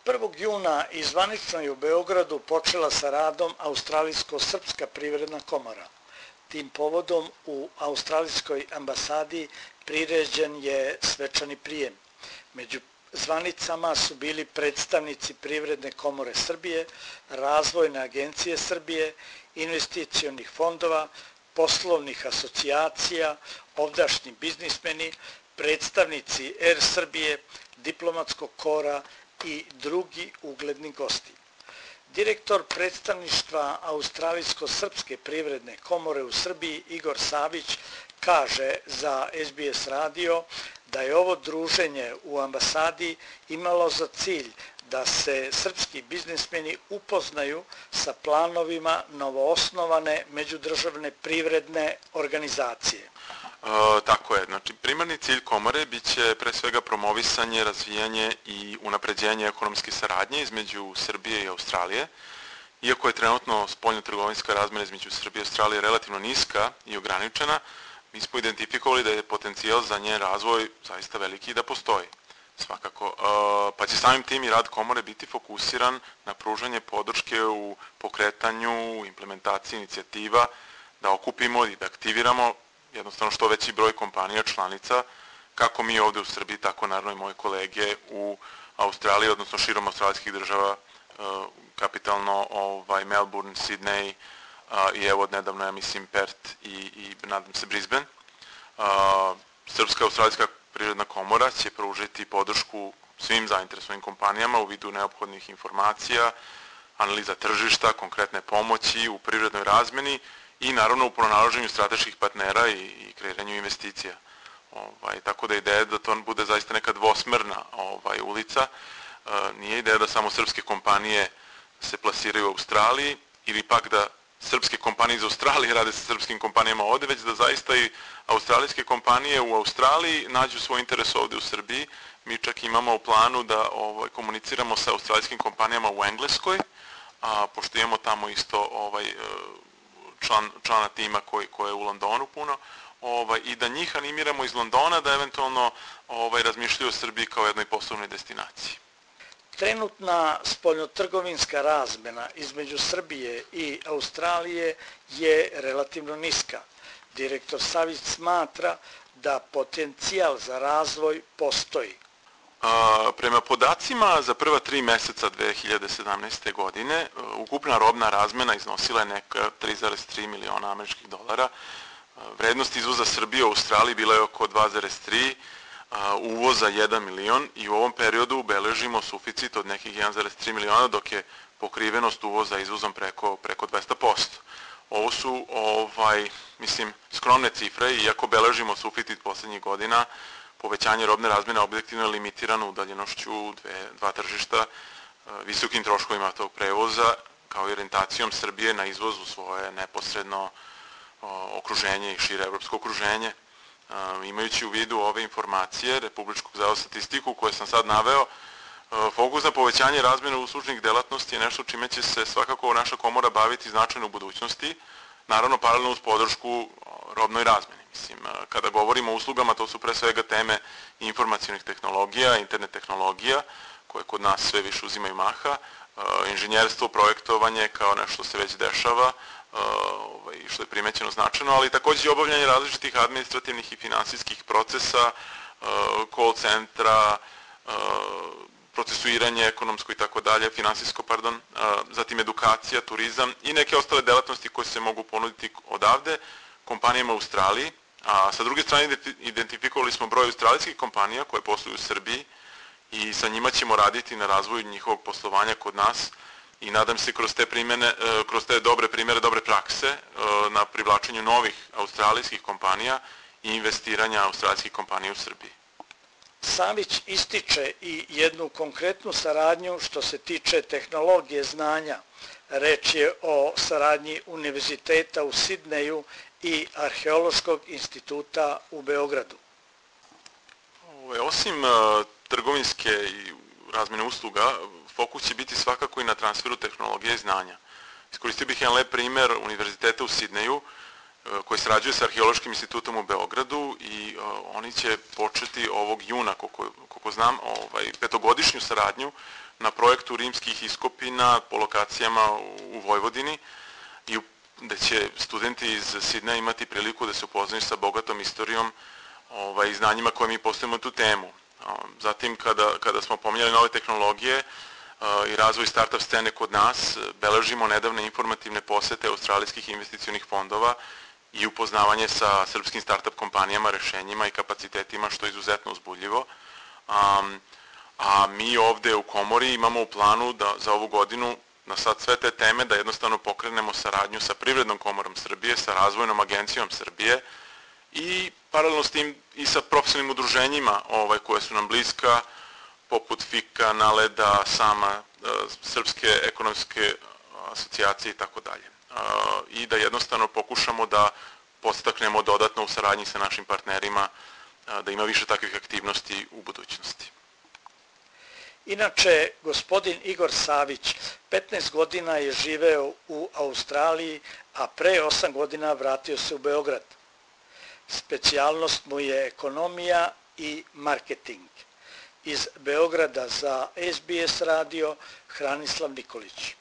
1. juna i zvanično je u Beogradu počela sa radom Australijsko-srpska privredna komora. Tim povodom u Australijskoj ambasadi priređen je svečani prijem. Među zvanicama su bili predstavnici Privredne komore Srbije, Razvojne agencije Srbije, investicionih fondova, poslovnih asocijacija, ovdašnji biznismeni, predstavnici Er Srbije, diplomatskog kora i drugi ugledni gosti. Direktor predstavništva Australijsko-srpske privredne komore u Srbiji Igor Savić kaže za SBS radio da je ovo druženje u ambasadi imalo za cilj da se srpski biznismeni upoznaju sa planovima novoosnovane međudržavne privredne organizacije. Tako je, znači primarni cilj komore biće pre svega promovisanje, razvijanje i unapređenje ekonomske saradnje između Srbije i Australije. Iako je trenutno spoljno-trgovinska razmena između Srbije i Australije relativno niska i ograničena, mi smo identifikovali da je potencijal za njen razvoj zaista veliki i da postoji. Svakako, pa će samim tim i rad komore biti fokusiran na pružanje podrške u pokretanju, implementaciji inicijativa, da okupimo i da aktiviramo jednostavno što veći broj kompanija članica, kako mi ovde u Srbiji, tako naravno i moje kolege u Australiji, odnosno širom australijskih država, kapitalno Melbourne, Sydney i evo nedavno, ja mislim, Perth i nadam se Brisbane. Srpska australijska privredna komora će pružiti podršku svim zainteresovanim kompanijama u vidu neophodnih informacija, analiza tržišta, konkretne pomoći u privrednoj razmeni i naravno u pronalaženju strateških partnera i kreiranju investicija. Tako da ideja je da to bude zaista neka dvosmerna ulica. Nije ideja da samo srpske kompanije se plasiraju u Australiji ili pak da srpske kompanije iz Australije rade sa srpskim kompanijama ovde, već da zaista i australijske kompanije u Australiji nađu svoj interes ovde u Srbiji. Mi čak imamo u planu da komuniciramo sa australijskim kompanijama u Engleskoj, pošto imamo tamo isto člana tima koji je u Londonu puno, i da njih animiramo iz Londona da eventualno razmišljaju o Srbiji kao jednoj poslovnoj destinaciji. Trenutna spoljnotrgovinska razmena između Srbije i Australije je relativno niska. Direktor Savić smatra da potencijal za razvoj postoji. Prema podacima za prva 3 meseca 2017. godine, ukupna robna razmena iznosila je neka 3,3 miliona američkih dolara. Vrednost izvoza Srbije u Australiji bila je oko 2,3, uvoza 1 milion i u ovom periodu beležimo suficit od nekih 1,3 miliona, dok je pokrivenost uvoza izvozom preko 200%. Ovo su, skromne cifre, iako beležimo suficit poslednjih godina, povećanje robne razmene objektivno je limitirano udaljenošću dva tržišta, visokim troškovima tog prevoza, kao i orijentacijom Srbije na izvoz u svoje neposredno okruženje i šire evropsko okruženje. Imajući u vidu ove informacije Republičkog zavoda za statistiku koje sam sad naveo, fokus na povećanje razmjene uslužnih delatnosti je nešto čime će se svakako naša komora baviti značajno u budućnosti, naravno paralelno uz podršku robnoj razmeni. Kada govorimo o uslugama, to su pre svega teme informacionih tehnologija, internet tehnologija, koje kod nas sve više uzimaju maha, inženjerstvo, projektovanje kao nešto se već dešava, što je primećeno značajno, ali takođe i obavljanje različitih administrativnih i finansijskih procesa, call centra, procesuiranje ekonomsko i tako dalje, finansijsko, pardon, zatim edukacija, turizam i neke ostale delatnosti koje se mogu ponuditi odavde kompanijama u Australiji, a sa druge strane identifikovali smo broj australijskih kompanija koje posluju u Srbiji i sa njima ćemo raditi na razvoju njihovog poslovanja kod nas i nadam se kroz te dobre primere, dobre prakse na privlačenju novih australijskih kompanija i investiranja australijskih kompanija u Srbiji. Savić ističe i jednu konkretnu saradnju što se tiče tehnologije znanja. Reč je o saradnji Univerziteta u Sidneju i Arheološkog instituta u Beogradu. Osim trgovinske i razmene usluga, fokus će biti svakako i na transferu tehnologije i znanja. Iskoristio bih jedan lep primer Univerziteta u Sidneju, koji sarađuje sa Arheološkim institutom u Beogradu i oni će početi ovog juna, koliko znam, petogodišnju saradnju na projektu rimskih iskopina po lokacijama u Vojvodini i gde će studenti iz Sidneja imati priliku da se upoznaju sa bogatom istorijom i znanjima koje mi postavimo tu temu. Zatim, kada smo pominjali nove tehnologije i razvoj startup scene kod nas, beležimo nedavne informativne posete australijskih investicionih fondova i upoznavanje sa srpskim startup kompanijama, rešenjima i kapacitetima, što je izuzetno uzbudljivo. A mi ovde u Komori imamo u planu da za ovu godinu na sad sve te teme da jednostavno pokrenemo saradnju sa Privrednom komorom Srbije, sa Razvojnom agencijom Srbije i paralelno s tim i sa profesionalnim udruženjima koje su nam bliska, poput FIK-a, NALED-a, SAMA, Srpske ekonomske asocijacije i tako dalje. I da jednostavno pokušamo da podstaknemo dodatno u saradnji sa našim partnerima da ima više takvih aktivnosti u budućnosti. Inače, gospodin Igor Savić 15 godina je živeo u Australiji, a pre 8 godina vratio se u Beograd. Specijalnost mu je ekonomija i marketing. Iz Beograda za SBS radio Hranislav Nikolić.